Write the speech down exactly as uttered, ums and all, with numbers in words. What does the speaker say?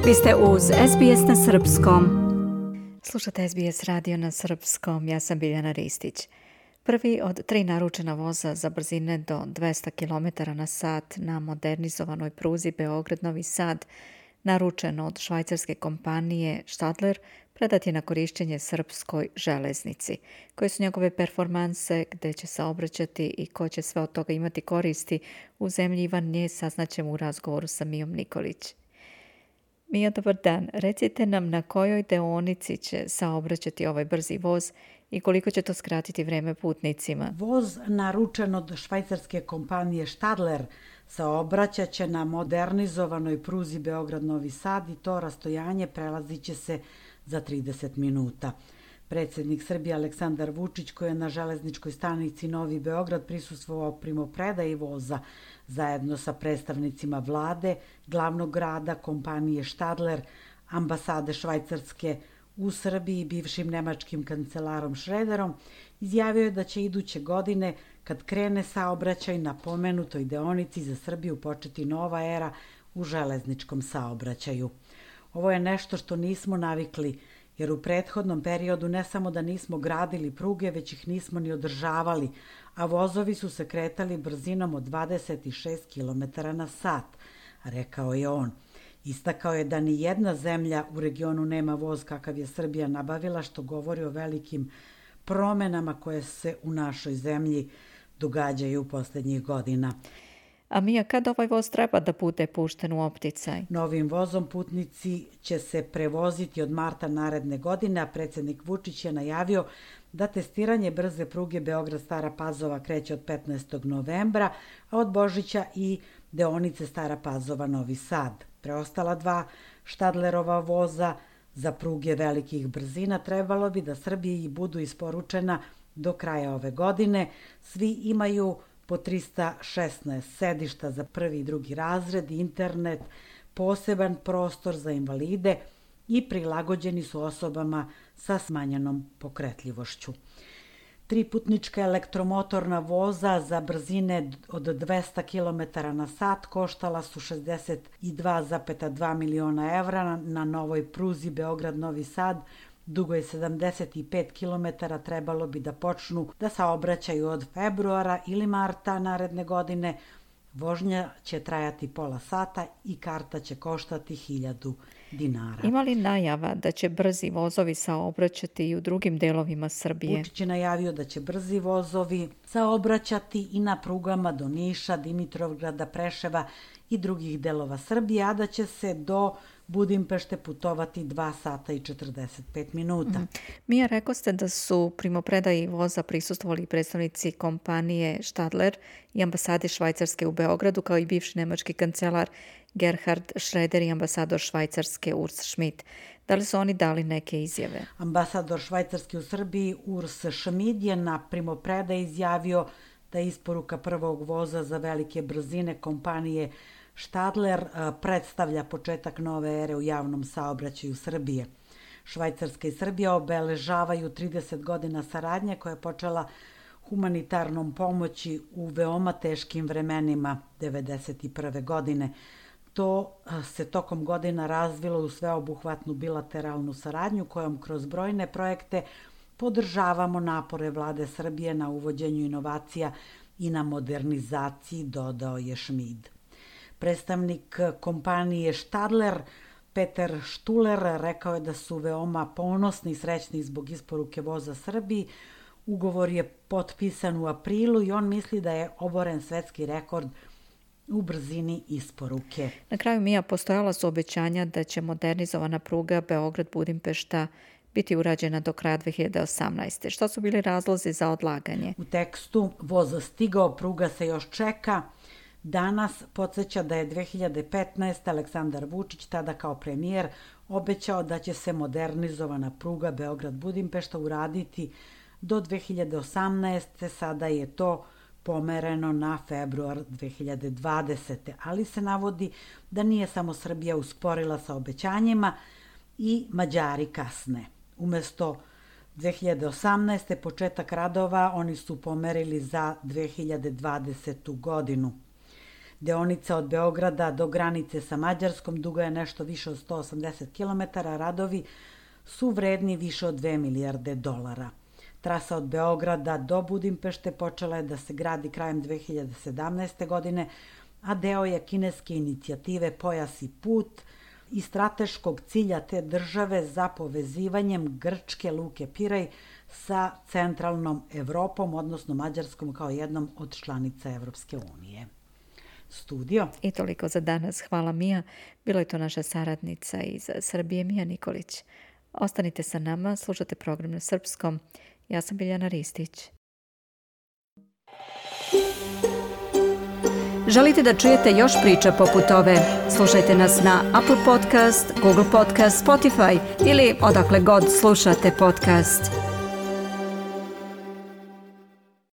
Vi ste uz S B S na srpskom. Slušate S B S radio na srpskom, ja sam Biljana Ristić. Prvi od tri naručena voza za brzine do dvesta kilometara na sat na modernizovanoj pruzi Beograd-Novi Sad, naručeno od švajcarske kompanije Stadler, predat je na korišćenje srpskoj železnici. Koje su njegove performanse, gde će saobraćati i ko će sve od toga imati koristi u zemlji Ivan Nje, saznaćemo u razgovoru sa Mijom Nikolić. Mija, dobar dan. Recite nam na kojoj deonici će saobraćati ovaj brzi voz i koliko će to skratiti vreme putnicima? Voz naručen od švajcarske kompanije Stadler saobraćat će na modernizovanoj pruzi Beograd-Novi Sad i to rastojanje prelazit će se za trideset minuta. Predsjednik Srbije Aleksandar Vučić, koji je na železničkoj stanici Novi Beograd prisustvovao primopredaji voza zajedno sa predstavnicima vlade, glavnog grada, kompanije Stadler, ambasade Švajcarske u Srbiji i bivšim nemačkim kancelarom Šrederom, izjavio je da će iduće godine, kad krene saobraćaj na pomenutoj deonici, za Srbiju početi nova era u železničkom saobraćaju. Ovo je nešto što nismo navikli, jer u prethodnom periodu ne samo da nismo gradili pruge, već ih nismo ni održavali, a vozovi su se kretali brzinom od dvadeset šest kilometara na sat, rekao je on. Istakao je da ni jedna zemlja u regionu nema voz kakav je Srbija nabavila, što govori o velikim promenama koje se u našoj zemlji događaju u posljednjih godina. A Mija, kad ovaj voz treba da bude pušten u opticaj? Novim vozom putnici će se prevoziti od marta naredne godine, a predsjednik Vučić je najavio da testiranje brze pruge Beograd-Stara Pazova kreće od petnaestog novembra, a od Božića i deonice Stara Pazova-Novi Sad. Preostala dva Stadlerova voza za pruge velikih brzina trebalo bi da Srbiji budu isporučena do kraja ove godine. Svi imaju po trista šesnaest sedišta za prvi i drugi razred, internet, poseban prostor za invalide i prilagođeni su osobama sa smanjenom pokretljivošću. Tri putnička elektromotorna voza za brzine od dvesta kilometara na sat koštala su šezdeset dva zarez dva miliona evra na novoj pruzi Beograd-Novi Sad, dugo je sedamdeset pet kilometara, trebalo bi da počnu da saobraćaju od februara ili marta naredne godine. Vožnja će trajati pola sata i karta će koštati hiljadu dinara. Ima li najava da će brzi vozovi saobraćati i u drugim delovima Srbije? Vučić je najavio da će brzi vozovi saobraćati i na prugama do Niša, Dimitrovgrada, Preševa i drugih delova Srbije, a da će se do Budimpešte putovati dva sata i četrdeset pet minuta. Mm. Mija, rekao ste da su primopredaji voza prisustvovali predstavnici kompanije Stadler i ambasade Švajcarske u Beogradu, kao i bivši nemački kancelar Gerhard Schreder i ambasador Švajcarske Urs Schmidt. Da li su oni dali neke izjave? Ambasador Švajcarske u Srbiji Urs Schmidt je na primopredaji izjavio da isporuka prvog voza za velike brzine kompanije Stadler predstavlja početak nove ere u javnom saobraćaju Srbije. Švajcarska i Srbija obeležavaju trideset godina saradnje koja je počela humanitarnom pomoći u veoma teškim vremenima devedeset prve godine. To se tokom godina razvilo u sveobuhvatnu bilateralnu saradnju kojom kroz brojne projekte podržavamo napore vlade Srbije na uvođenju inovacija i na modernizaciji, dodao je Schmidt. Predstavnik kompanije Stadler, Peter Štuler, rekao je da su veoma ponosni i srećni zbog isporuke voza Srbiji. Ugovor je potpisan u aprilu i on misli da je oboren svetski rekord u brzini isporuke. Na kraju, Mija, postojala su obećanja da će modernizovana pruga Beograd-Budimpešta biti urađena do kraja dve hiljade osamnaeste. Šta su bili razlozi za odlaganje? U tekstu voz stigao, pruga se još čeka. Danas podsjeća da je dve hiljade petnaeste. Aleksandar Vučić, tada kao premijer, obećao da će se modernizovana pruga Beograd-Budimpešta uraditi do dve hiljade osamnaeste. Sada je to pomereno na februar dve hiljade dvadesete. Ali se navodi da nije samo Srbija usporila sa obećanjima, i Mađari kasne. Umesto dve hiljade osamnaeste. početak radova oni su pomerili za dve hiljade dvadesetu. godinu. Deonica od Beograda do granice sa Mađarskom duga je nešto više od sto osamdeset kilometara, radovi su vredni više od dve milijarde dolara. Trasa od Beograda do Budimpešte počela je da se gradi krajem dve hiljade sedamnaeste. godine, a deo je kineske inicijative Pojas i put i strateškog cilja te države za povezivanjem grčke luke Piraj sa centralnom Evropom, odnosno Mađarskom kao jednom od članica Evropske unije. Studio. I toliko za danas. Hvala Mija. Bila je to naša saradnica iz Srbije, Mija Nikolić. Ostanite sa nama, slušate program na srpskom. Ja sam Biljana Ristić. Želite da čujete još priča poput ove? Slušajte nas na Apple Podcast, Google Podcast, Spotify ili odakle god slušate podcast.